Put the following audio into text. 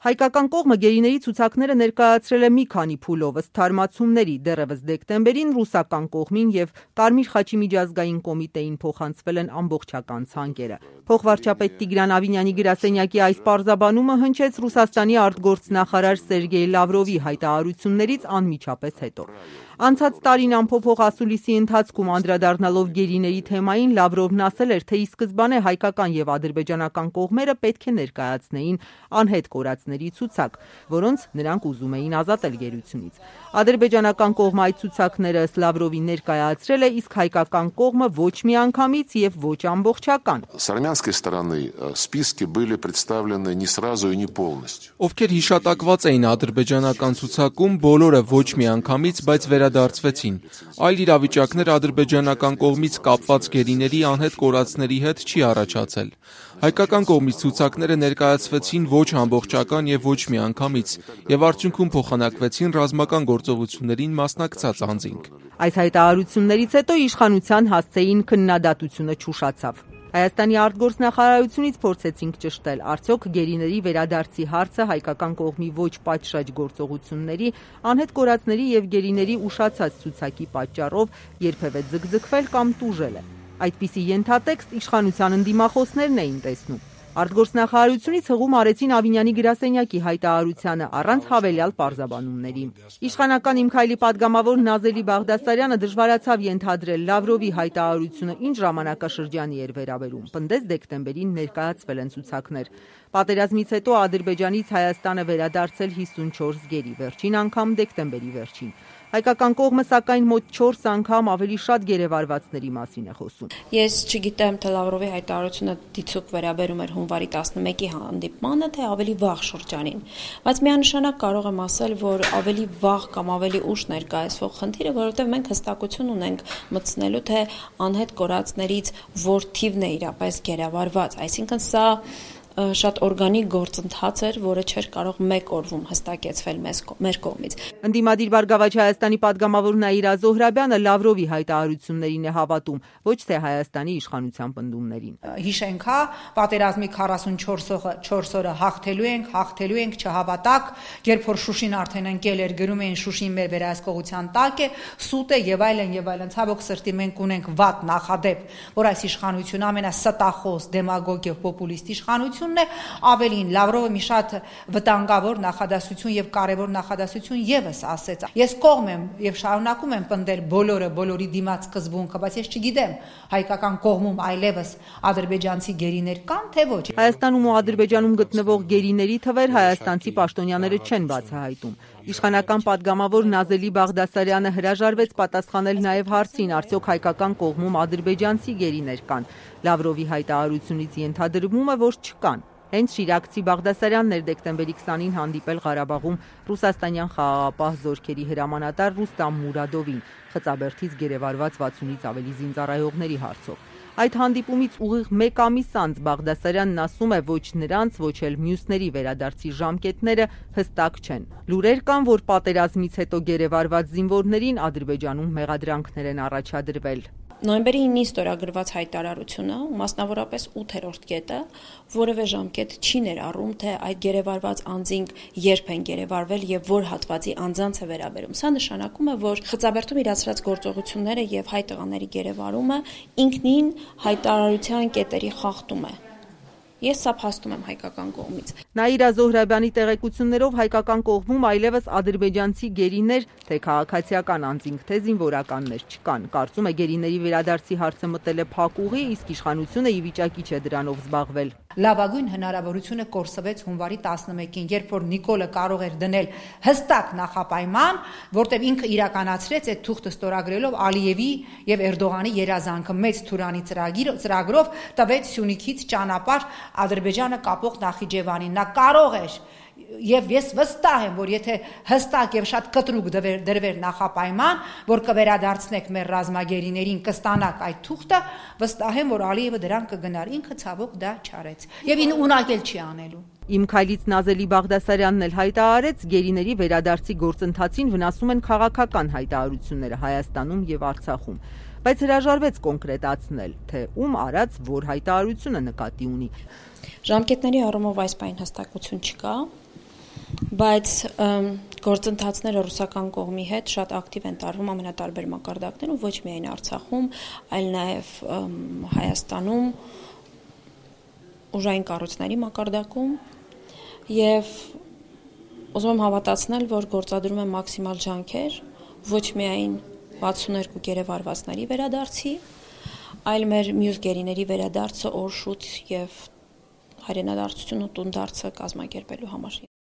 Հայկական կողմը գերիների ցուցակները ներկայացրել է մի քանի փուլով ըստ թարմացումների, դեռևս դեկտեմբերին ռուսական կողմին եւ Կարմիր խաչի միջազգային կոմիտեին փոխանցվել են ամբողջական ցանկերը։ Փոխվարչապետ Տիգրան Ավինյանի գրասենյակի այս պարզաբանումը հնչեց Ռուսաստանի արտգործնախարար Սերգեյ Լավրովի հայտարարություններից անմիջապես հետո։ Անցած տարին ամփոփող ասուլիսի ընթացքում անդրադառնալով գերիների թեմային Լավրովն ասել էր, թե ի սկզբանե հայկական եւ ադրբեջանական կողմերը պետք է ներկայացնեին անհետ կորածների ցուցակ, որոնց նրանք ուզում էին ազատել գերությունից։ Ադրբեջանական կողմը այդ ցուցակները ըստ Լավրովի ներկայացրել է, իսկ հայկական կողմը ոչ միանգամից եւ ոչ ամբողջական։ С армянской стороны списки были представлены не сразу и не полностью. Ովքեր հիշատակված էին ադրբեջանական ցուցակում, բոլորը ոչ միանգամից, բայց վերադարձվեցին։ Այլ իրավիճակներ ադրբեջանական կողմից կապված գերիների անհետ կորածների հետ չի առաջացել։ Հայկական կողմից ցուցակները ներկայացվեցին ոչ ամբողջական եւ ոչ միանգամից եւ արդյունքում փոխանակվեցին ռազմական գործողություններին մասնակցած անձինք։ Այս հայտարարություններից հետո իշխանության հասցեին քննադատությունը չուշացավ։ Հայաստանի արտգործնախարարությունից փորձեցինք ճշտել, արդյոք գերիների վերադարձի հարցը հայկական կողմի ոչ պատշաճ գործողությունների, անհետ կորածների եւ գերիների ուշացած ցուցակի պատճառով երբևէ ձգձգվել կամ տուժել է։ Այդպիսի ենթատեքստ իշխանության ընդդիմախոսներն էին տեսնում։ Արտգործնախարարությունից հղում արեցին Ավինյանի գրասենյակի հայտարարությանը առանց հավելյալ պարզաբանումների։ Իշխանական Իմ քայլի պատգամավոր Նազելի Բաղդասարյանը դժվարացավ ենթադրել Լավրովի հայտարարությունը ինչ ժամանակաշրջանի էր վերաբերում։ Պնդեց դեկտեմբերին ներկայացվել են ցուցակներ։ Պատերազմից հետո Ադրբեջանից Հայաստանը վերադարձել 54 գերի, վերջին անգամ դեկտեմբերի վերջին։ Հայկական կողմը սակայն մոտ 4 անգամ ավելի շատ գերեվարվածների մասին է խոսում։ Ես չգիտեմ, թե Լավրովի հայտարարությունը դիցուկ վերաբերում էր հունվարի 11-ի հանդիպմանը, թե ավելի վաղ շրջանին, բայց միանշանակ կարող եմ ասել, որ ավելի վաղ կամ ավելի ուշ ներկայացվող խնդիրը, որովհետև մենք հստակություն ունենք մտցնելու, թե անհետ կորածներից որ թիվն է իրապես գերեվարված, այսինքն սա շատ օրգանիկ գործընթաց էր, որը չէր կարող մեկ օրում հստակեցվել մեր կողմից։ Ընդդիմադիր Բարգավաճ Հայաստանի պատգամավոր Նաիրա Զոհրաբյանը Լավրովի հայտարարություններին է հավատում, ոչ թե Հայաստանի իշխանության պնդումներին։ Հիշենք, պատերազմի 44 օրը հաղթելու ենք, չհավատակ, երբ որ Շուշին արդեն ընկել էր, գրում էին Շուշին մեր վերահսկողության տակ է, սուտ է եւ այլն, ցավոք սրտի մենք ունենք վատ նախադեպ, որ այս իշխանությունը ամենաստախոս, դեմագոգ եւ պոպուլիստ իշխանություն ավելին Լավրովը մի շատ վտանգավոր նախադասություն եւ կարեւոր նախադասություն եւս ասեց։ Ես կողմ եմ եւ շարունակում եմ պնդել բոլորի դիմաց սկզբունքը, բայց ես չգիտեմ հայկական կողմում այլևս ադրբեջանցի գերիներ կան թե ոչ։ Հայաստանում ու Ադրբեջանում գտնվող գերիների թվեր հայաստանցի պաշտոնյաները չեն բացահայտում։ Իշխանական պատգամավոր Նազելի Բաղդասարյանը հրաժարվեց պատասխանել նաև հարցին, արդյոք հայկական կողմում ադրբեջանցի գերիներ կան։ Լավրովի հայտարարությունից ենթադրվում է, որ չկան։ Հենց Շիրակցի Բաղդասարյանն էր դեկտեմբերի 20-ին հանդիպել Ղարաբաղում ռուսաստանյան խաղաղապահ զորքերի հրամանատար Ռուստամ Մուրադովին, Խծաբերդից գերեվարված 60-ից ավելի զինծառայողների հարցով։ Այդ հանդիպումից ուղիղ մեկ ամիս անց Բաղդասարյանն ասում է, ոչ նրանց, ոչ էլ մյուսների վերադարձի ժամկետները հստակ չեն։ Լուրեր կան, որ պատերազմից հետո գերեվարված զինվորներին Ադրբեջանում մեղադրանքներ են առաջադրվել։ Նոյեմբերի 9-ին ստորագրված հայտարարությունը, մասնավորապես 8-րդ կետը, որևէ ժամկետ չի ներառում, թե այդ գերեվարված անձինք երբ են գերեվարվել եւ որ հատվածի անձանց է վերաբերում։ Սա նշանակում է, որ Խծաբերդում իրացրած գործողությունները եւ հայ տղաների գերեվարումը ինքնին հայտարարության կետերի խախտում է։ Ես սա փաստում եմ հայկական կողմից։ Նաիրա Զոհրաբյանի տեղեկություններով հայկական կողմում այլևս ադրբեջանցի գերիներ, թե քաղաքացիական անձինք, թե զինվորականներ չկան։ Կարծում է գերիների վերադարձի հարցը մտել է փակ ուղի, իսկ իշխանությունը ի վիճակի չէ դրանով զբաղվել։ Լավագույն հնարավորությունը կորսվեց հունվարի 11-ին, երբ որ Նիկոլը կարող էր դնել հստակ նախապայման, որտեղ ինքը իրականացրեց այդ թուղթը ստորագրելով Ալիևի եւ Էրդողանի երազանքը մեծ Թուրանի ծրագրով տվեց Սյունիքից ճանապարհ Ադրբեջանը կապող Նախիջևանին։ Նա կարող էր եւ ես վստահ եմ, որ եթե հստակ եւ շատ կտրուկ դրվեր նախապայման, որ կվերադարձնեք մեր ռազմագերիներին, կստանաք այդ թուղթը, վստահ եմ, որ Ալիևը դրան կգնար, ինքը ցավոք դա չարեց։ Եվ ինը ունակել չի անելու։ Իմ քայլից Նազելի Բաղդասարյանն էլ հայտարարեց, գերիների վերադարձի գործընթացին վնասում են քաղաքական հայտարարությունները Հայաստանում եւ Արցախում, բայց հրաժարվեց կոնկրետացնել, թե ում արած որ հայտարարությունը նկատի ունի։ Ժամկետների առումով այս պայն հստակություն չկա։ Բայց գործընթացները ռուսական կողմի հետ շատ ակտիվ են տարվում ամենատարբեր մակարդակներում, ոչ միայն Արցախում, այլ նաև Հայաստանում, ուժային կառույցների մակարդակում եւ ուզում եմ հավատացնել, որ գործադրում են մաքսիմալ ջանքեր ոչ միայն 62 գերեվարվածների վերադարձի, այլ մեր մյուս գերիների վերադարձը օրշուց եւ հայրենադարձություն ու տունդարձը կազմակերպելու համար։